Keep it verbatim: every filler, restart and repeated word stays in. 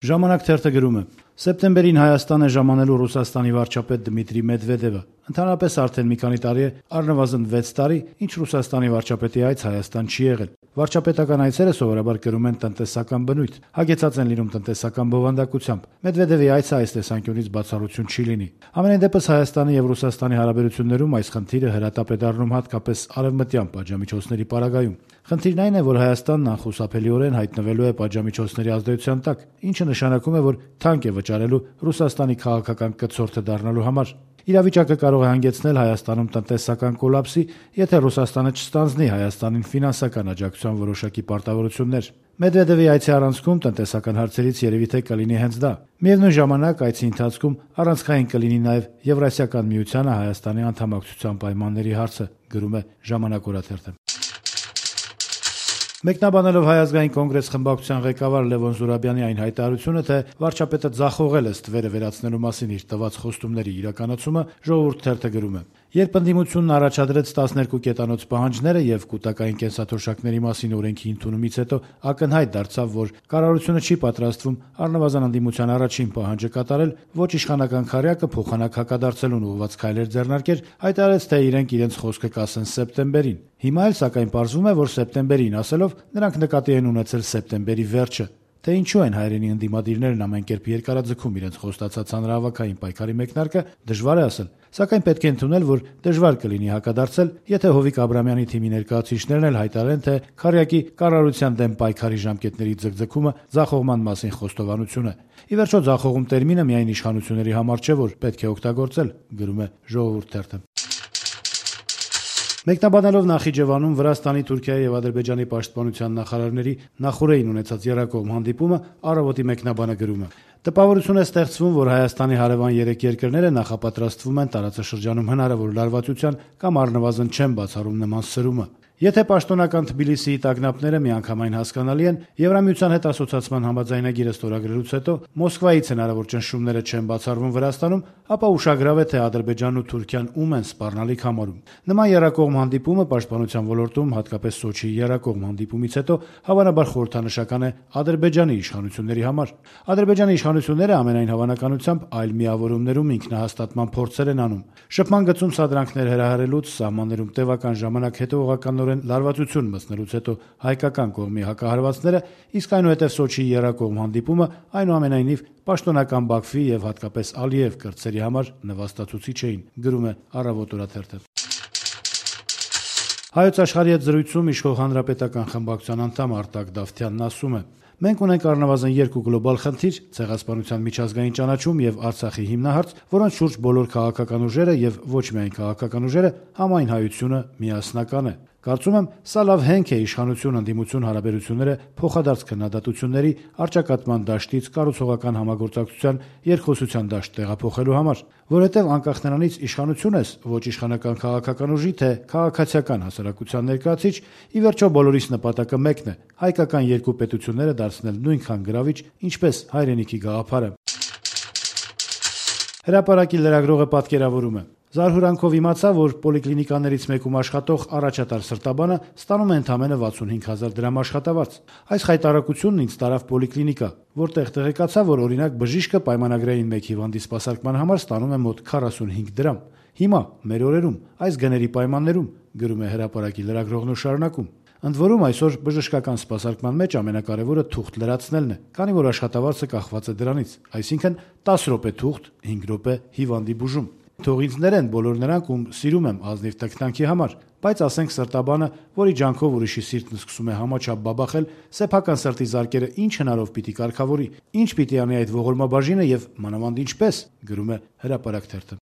Ժամանակ թերթը գրում է. Սեպտեմբերին Հայաստան է ժամանելու Ռուսաստանի վարչապետ Դմիտրի Մեդվեդևը։ Ընդհանրապես արդեն մի քանի տարի է, առնվազն վեց տարի, ինչ Ռուսաստանի վարչապետի այց Հայաստան չի եղել։ Վարչապետական այցերը սովորաբար կրում են տնտեսական բնույթ, հագեցած են լինում տնտեսական բովանդակությամբ։ Մեդվեդևի այցը այս տեսանկյունից բացառություն չի լինի։ Ամենայն դեպս Հայաստանի եւ Ռուսաստանի հարաբերություններում այս խնդիրը հրատապ է դառնում հատկապես արևմտյան պատժամիջոցների պարագայում։ Խնդիրն այն է, որ Հայաստանն անխուսափելիորեն հայտնվելու է պատժամիջոցների ազդեցության տակ, ինչը նշանակում է, որ թանկ է վճարելու Ռուսաստանի քաղաքական կցորդը դառնալու համար։ Իրավիճակը կարող է հանգեցնել Հայաստանում տնտեսական կոլապսի, եթե Ռուսաստանը չստանձնի Հայաստանին ֆինանսական աջակցության որոշակի պարտավորություններ։ Մեդվեդևի այցի առանցքում տնտեսական հարցերից երևի թե կլինի հենց դա։ Միևնույն ժամանակ այցի ընթացքում առանցքային կլինի նաև Եվրասիական միությանը Հայաստանի անդամակցության պայմանների հարցը, գրում է Ժամանակ օրաթերթը։ Մեկնաբանելով Հայ ազգային կոնգրես խմբակցության ղեկավար Լևոն Զուրաբյանի այն հայտարարությունը, թե վարչապետը ձախողել է ստվերը վերացնելու մասին իր տված խոստումների իրականացումը, Ժողովուրդ թերթը գրում է. Երբ ընդդիմությունն առաջադրեց տասներկու կետանոց պահանջները եւ կൂട്ടակային կենսաթոշակների մասին օրենքի ընդունումից հետո ակնհայտ դարձավ, որ կառավարությունը չի պատրաստվում առնվազն ընդդիմության առաջին պահանջը կատարել, ոչ իշխանական քարյակը փոխանակ հակադարձելուն ուղղված քայլեր ձեռնարկել, հայտարարեց, թե իրենք իրենց խոսքը կասեն սեպտեմբերին։ Հիմա էլ սակայն պարզվում է, որ սեպտեմբերին ասելով նրանք նկատի են ունեցել սեպտեմբերի վերջը։ Թե ինչու են հայրենի ընդդիմադիրներն ամեն կերպ երկարաձգում իրենց խոստացած հանրահավաքային պայքարի մեկնարկը, դժվար է ասել, սակայն պետք է ընդունել, որ դժվար կլինի հակադարձել, եթե Հովիկ Աբրամյանի թիմի ներկայացուցիչներն էլ հայտարարեն, թե քարյակի կառավարության դեմ պայքարի ժամկետների ձգձգումը ձախողման մասին խոստովանություն է։ Ի վերջո ձախողում տերմինը միայն իշխանությունների համար չէ, որ պետք է օգտագործել, գրում է Ժողովուրդ թերթը։ Մեկնաբանելով Նախիջևանում Վրաստանի, Թուրքիայի եւ Ադրբեջանի պաշտպանության նախարարների նախորդին ունեցած եռակողմ հանդիպումը Առավոտի մեկնաբանը գրում է. Տպավորություն է ստեղծվում, որ Հայաստանի հարևան երեք երկրները նախապատրաստվում են տարածաշրջանում հնարավոր լարվածության կամ առնվազն չեն բացառում նման սրումը։ Եթե պաշտոնական Թբիլիսիի տագնապները միանգամայն հասկանալի են, Եվրամիության հետ ասոցիացման համաձայնագիրը ստորագրելուց հետո Մոսկվայից հնարավոր ճնշումները չեն բացառվում Վրաստանում, ապա ուշագրավ է, թե Ադրբեջանն ու Թուրքիան ում են սպառնալիք համարում։ Նման եռակողմ հանդիպումը պաշտպանության ոլորտում, հատկապես Սոչիի եռակողմ հանդիպումից հետո, հավանաբար խորհրդանշական է Ադրբեջանի իշխանությունների համար։ Ադրբեջանի իշխանությունները ամենայն հավանականությամբ այլ միավորումներում ինքնահաստատման փորձեր են անում։ Շփման գծում սադրանքներ հրահրելուց, սահմաններում տևական ժամանակ հետևողականորեն լարվածություն մտցնելուց հետո հայկական կողմի հակահարվածները, իսկ այնուհետև Սոչիի եռակողմ հանդիպումը այնուամենայնիվ պաշտոնական Բաքվի եւ հատկապես Ալիև կրտսերի համար նվաստացուցիչ էին, գրում է Առավոտ օրաթերթը։ Հայոց աշխարհի հետ զրույցում իշխող հանրապետական խմբակցության անդամ Արտակ Դավթյանն ասում է. Մենք ունենք առնվազն երկու գլոբալ խնդիր՝ ցեղասպանության միջազգային ճանաչում եւ Արցախի հիմնահարց, որոնց շուրջ բոլոր քաղաքական ուժերը եւ ոչ միայն քաղաքական ուժերը համայն հայությունը միասնական է։ Կարծում եմ, սա լավ հենք է իշխանություն-ընդդիմություն հարաբերությունները փոխադարձ քննադատությունների, առճակատման դաշտից կառուցողական համագործակցության երկխոսության դաշտ տեղափոխելու համար, որովհետև անկախ նրանից իշխանություն ես, ոչ իշխանական քաղաքական ուժի, թե քաղաքացիական հասարակության ներկայացիչ, ի վերջո բոլորիս նպատակը մեկն է՝ հայկական երկու պետությունները դարձնել նույնքան գրավիչ, ինչպես հայրենիքի գաղափարը։ Հրապարակի լրագրողը պատկերավորում է. Զարհուրանքով իմացա, որ պոլիկլինիկաներից մեկում աշխատող առաջատար սրտաբանը ստանում է ընդամենը վաթսունհինգ հազար դրամ աշխատավարձ։ Այս խայտարակությունն ինձ տարավ պոլիկլինիկա, որտեղ տեղեկացա, որ օրինակ բժիշկը պայմանագրային մեկ հիվանդի սպասարկման համար ստանում է մոտ քառասունհինգ դրամ։ Հիմա, մեր օրերում, այս գների պայմաններում, գրում է Հրապարակի լրագրողն ու շարունակում. Ընդ որում այսօր բժշկական սպասարկման մեջ ամենակարևորը թուղթ լրացնելն է, քանի որ աշխատավարձը կախված է դրանից, այսինքն տասը րոպե թուղթ, հինգ րոպե հիվանդի բուժում։ Թող ինձ ներեն բոլոր նրանք, ում սիրում եմ ազնիվ տքնանքի համար, բայց ասենք սրտաբանը, որի ջանքով ուրիշի սիրտն սկսում է համաչափ բաբախել, սեփական սրտի զարկերը ինչ հնարով պիտի կարգավորի, ինչ պիտի անի այդ ողորմաբաժինը եւ մանավանդ ինչպես, գրում է Հրապարակ թերթը։